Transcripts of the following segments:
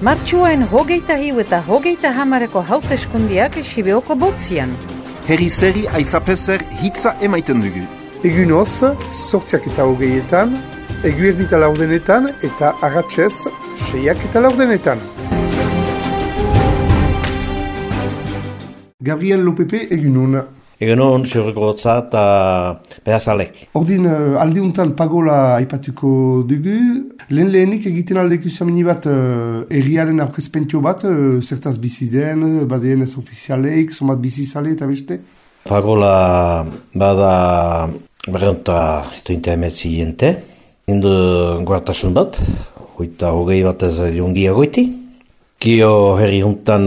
Martxuain 21 eta 30 hauteskundiak Sibeoko botzian. Herri zeri aizapezer hitza emaiten dugu. Egunoz, 8:20, eguerdita 4 eta arratsez 6:4. Gabriel Lopepe, egunon. Egunon, Xurrugorotza eta Pedazalek. Ordin, aldeuntan pagola aipatuko dugu. Lehenik egiten aldeko zamini bat erriaren aurkezpentio bat, zertaz bizi den, badeen ez ofizialeik, somat bizizale eta beste? Pagola bada berrenta etointa emetzi jente. Indu guartasun bat, hoita hogei bat ez jongia goiti. Kio herri juntan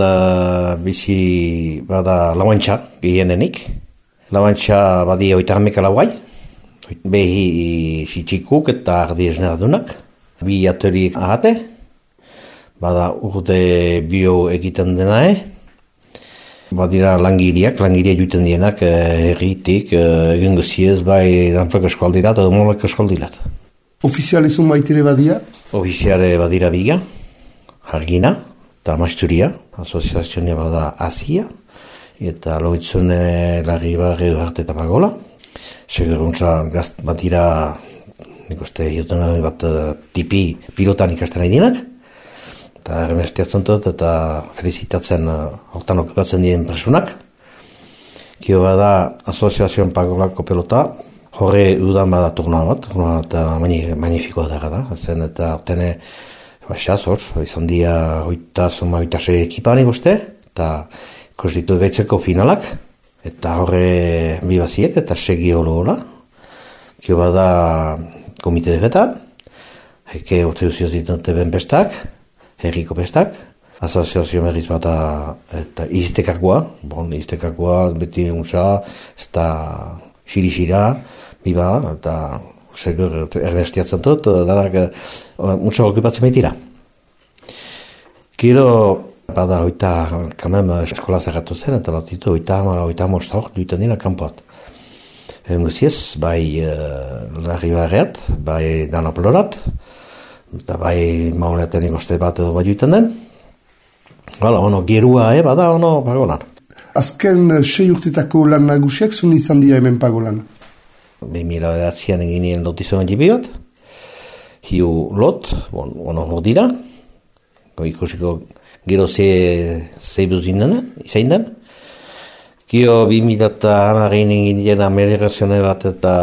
bizi bada lauantxa gehienenik. Lauantxa badi oita hameka lauai. Behi sitxikuk eta ardi esneradunak. Bi atoriek ahate. Bada urte bio egiten denae. Badira langiria juten dienak herritik egin guziez bai danplako eskualdirat edo molako eskualdirat. Ofizialezun baitere badia? Ofiziale badira biga, Hargina eta Masturia, asoziazioa bada Asia, eta loitzune larri barri arte eta pagola. Seguruntza gazt badira, nik uste, juten bat tipi pilotan ikasten nahi dienak, eta erremestiatzen dut eta felicitatzen hortan okupatzen dien presunak. Kio bada asoziazioan pagolako pelota, horre dudan bada turnoa bat magnifikoa da, zen eta obtene baxaz hor, izan dia hoita sei ekipanik uste, eta konstitu gaitzeko finalak, eta horre bibaziek eta segi holo. Kio bada komite defeta, heke urte duzioz ditute ben bestak, herriko bestak, asoziazio berriz bata eta iztekakoa, beti unsa, ez da xiri-xira, biba, eta segur ernestiatzen dut, danak muntza okupatzen baitira. Gero, bada hoita, kamem eskola zerratu zen, eta bat ditu hoita amosta hor duiten dira kanpoat. Guziez, bai larri barreat, bai danaplorat, eta bai mauleaten ikoste bat edo bai duiten den. Ono, gerua bada, ono, pagolan. Azken 6 urtetako lan nagusiak zuen izan dira hemen pagolan? 2009an egin nien lotizuen jibi bat, hiu lot, ono hor dira, ikusiko gero zeibuz izain den. Gio 2010 egin dien ameliorazione bat eta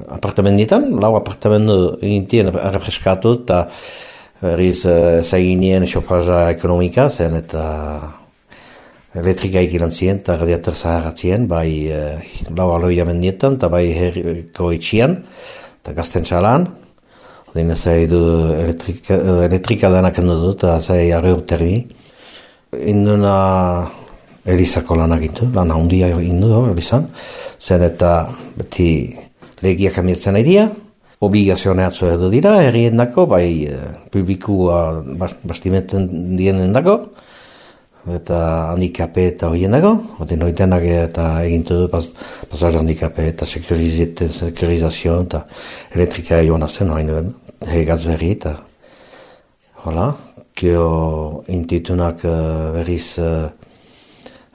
apartamenditan, lau apartamendu egin dien arrefreskatu eta berriz zaigin nien xopaza ekonomika zen eta elektrika ikilan ziren eta radiator zaharatzien, bai lau aloia mendietan eta bai herriko itxian eta gazten txalan. Odin zai du elektrika denak endu du eta zai arre urterbi. Induna Elizako lanak indu, lan handia indu Elizan. Zen eta beti legiak amietzen nahi dira, obligazioneatzu edo dira, herrien dako, bai publikua bastimenten dienen dako, eta handikape eta horien dago, odin horitenak eta egintu du pasaz handikape eta sekurizazio eta elektrika joan azen, hegaz berri eta hola, kio intitunak berriz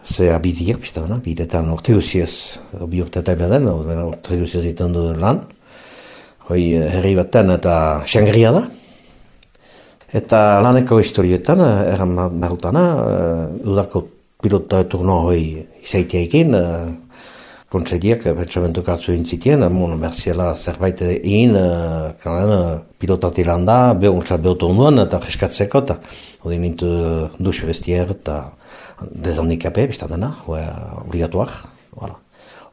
zea bidiak, bidetan orte guziez, bi urte eta beden, orte guziez ditan du lan, hoi herri baten eta Xangria da. Eta laneko historietan, erran marutana, udako pilota turno hoi izaitea kontseidiak pentsamentu katzu intzitien, merziela zerbait egin, pilotati landa, behontzat behotu nuen, eta freskatzeko, eta hori nintu duxe bestier, eta dezhandikape, biztan dena, obligatuak,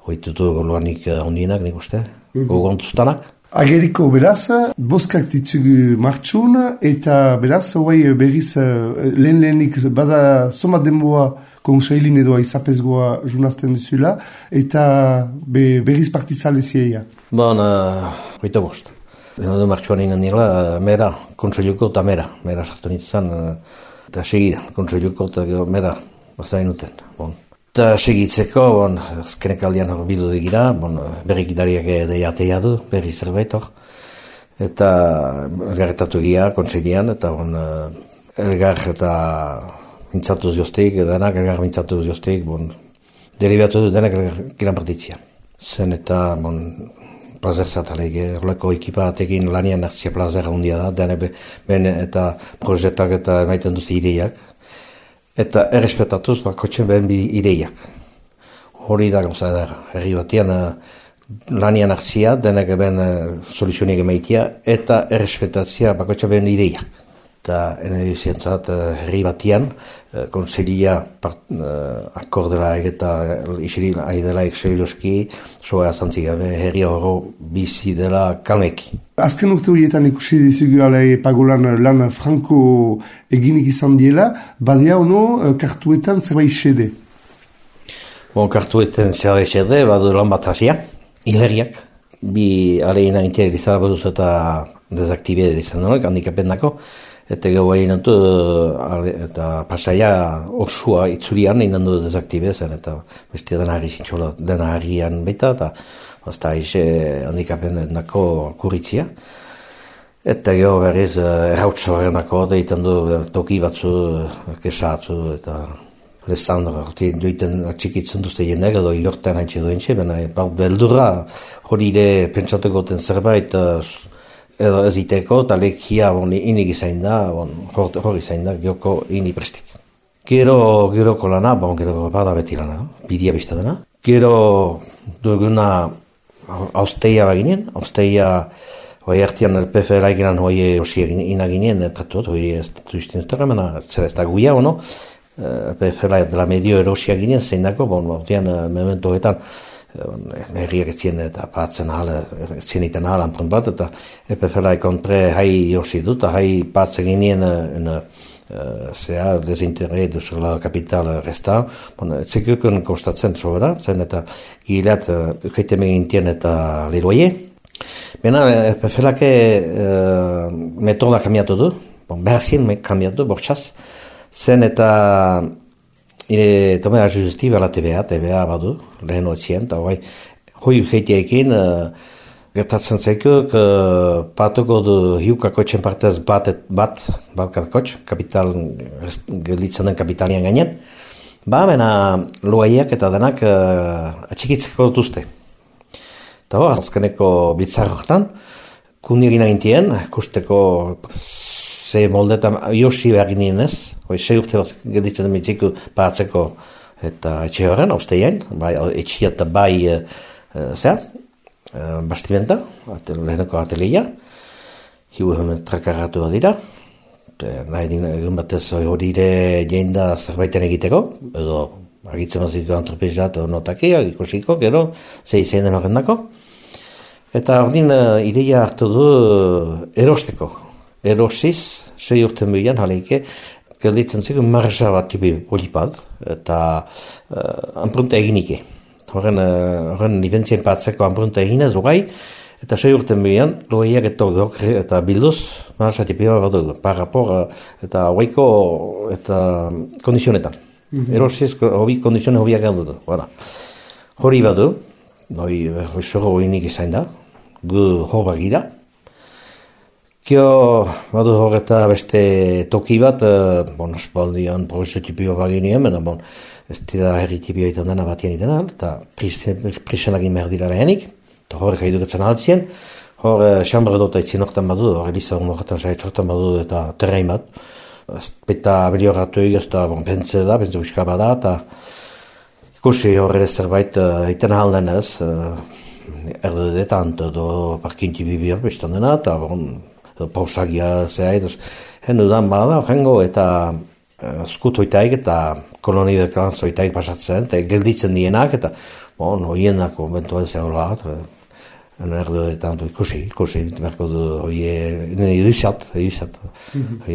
hori tutu goluanik ondienak, nik uste, gogontuztanak. Ageriko beraz, boskak ditugu martxun, eta beraz, berriz lehenik bada somat denboa konseilin edo aizapezgoa junazten duzula, eta berriz partizale zieia. Hoita bost. Martxuan ingen nirela, mera, konseiluko eta mera sartu nintzen, eta segida, konseiluko eta mera, bazain uten. Eta segitzeko, azkenek aldean hor bildu digira, berrikidariak deiatea du, berri zerbait hor. Eta garretatu gira, kontseilean, eta elgar eta mintzatuz joztik, denak elgar mintzatuz joztik, deribatu du denak elgar partitzia. Zen eta, plazer zataleik, horreko ekipa batekin lanian hartzia plazer handia da, denak ben eta projetak eta emaiten duz ideiak, eta errespetatuz bakotxen behen bi ideiak. Hori da gauza edera, herri batian lanian hartzia, denak ben soluzionik emaitia, eta errespetatzia bakotxen behen ideiak. Eta zientzat herri batian, konselia akordela eta isiri aidela ekseliloski, soa azantzik gabe herri horro bizi dela kalmeki. Azken urte horietan ikusi dizugu pagolan lan franko eginik izan diela, badia ono kartuetan zerbait xede? Kartuetan zerbait xede, badu lan bat hasia, hileriak, bi aleina integrizara baduz eta dezaktibide izan denak, handikapen dako, eta gau egin nantu, eta pasaia osua itzurian egin nantu dezaktibe zen, eta bestia dena harrian baita, eta azta aize handikapen dako kuritzia. Eta gau berriz errautsoaren dako, egiten du toki batzu, kesatzu, eta lezandra, joiten atxikitzen duzte jendek, edo ilorten haintxe duen txe, beldurra hori ere pentsatuko den zerbait, edo ez iteko, eta lekia inik izain da, hori izain da, gioko ini prestik. Geroko lana, gero bada beti lana, bidia biztadena. Gero duguna austeia baginen, austeia hoi hartian LPF eginan hoi osi inaginen, tratut, hoi ez duizten zutera, zer ez da guia, LPF dela medio erosia ginen, zein dako, memento hoetan, herriak etzien eta patzen etzien iten ahalan bat, eta EPF-la kontre hai josi dut, hai patzen ginen desinterre duzula kapital resta, etzekukun kostatzen sobera, zen eta gileat ukeiteme gintien eta liroie. Bena, EPF-lake metoda kamiatu du, berzien kamiatu, bortxaz, zen eta tomea justiva la TVA badu, lehen otzien, eta hoi ukeitiekin gertatzen zaikuk patuko du hiukakotxen partez bat kakotx, kapital, gelditzen den kapitalian gainen, bena loaiak eta denak atxikitzeko dutuzte. Eta hor, azkeneko bitzarrotan, kundirina gintien, kusteko ze moldetan josi behar ginen ez, sei urte bat gelditzen den mitziku paratzeko eta etxe horren, austeien, etxia eta bastimenta, leheneko ateleia, hiu trakarratu dira, nahi egun batez hori ere jein da zerbaiten egiteko, edo agitzen maziko antropezat notakia, ikusiko, gero, ze izain den horren dako, eta ordin ideia hartu du erosteko. Erosiz, 6 urten bilan, jaleike, gelditzen ziku marxa bat tipi polipat, eta anprunta eginike. Horren nibentzien patzeko anprunta eginez, ogai, eta 6 urten bilan, loeiak eta bilduz, marxa tipi bat dugu, parrapor eta oaiko eta kondizionetan. Erosiz, kondizionen hobiak egin dugu. Hori bat du, hori zoro eginik izain da, gu hor bagira, Kio, badu horreta beste toki bat, espaldian prozesu tipio baginien, ez dira herri tipio egiten dena batien itena, eta prisenak inber dira lehenik, eta horrek haiduketzen altzien, hor xambra dut aitzien horretan badu, hor elizan horretan saitz badu eta terrein bat, eta abelioratu egez, eta pentsa uska bada, eta ikusi horre zerbait egiten ahalden ez, erdedetan, edo parkinti bibir bestan dena, eta pausagia zehai, hendu dan bada, jengo eta skutoitaik eta kolonideklanzoitaik pasatzen, eta gelditzen dienak, eta hoien konbentua ez egola bat, erdedetan ikusi, berko du edizat,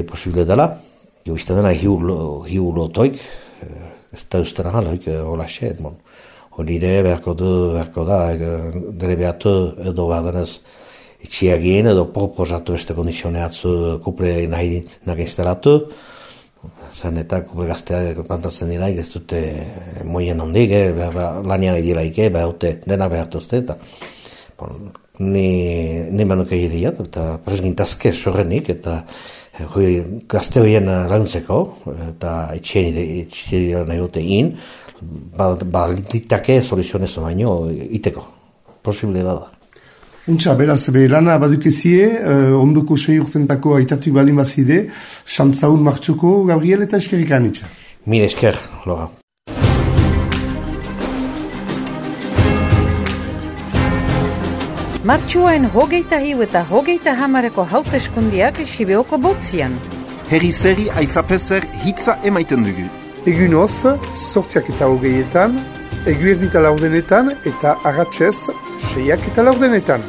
posible dela, jo izten dena hiu lotoik, ez da usten ahal, hola xe, hori ere berko da, dere behatu edo badanez, itxiagien edo proposatu beste kondizioneatzu kuple nahi instalatu, zen eta kuple gaztea plantatzen dira, ez dute moien handik, lanian egilaik, dena behartuzte, eta ni manuke idiat, eta presgintazke sorrenik, eta gazte horien laguntzeko, eta etxean nahi dute ditake soluzionez baino iteko. Posible bada. Untxa, beraz, lana badukezie, ondoko 6 urtentako aitatu balin bazide, xantzaun martxuko, Gabriel, eta eskerrik anitxa. Mil esker, Laura. Martxuaen 21 eta 30 hauteskundiak Sibeoko botzian. Herri zeri aizapezer hitza emaiten dugu. Egun hoz, 8:20, eguerdita 4 eta arratsez 6:40.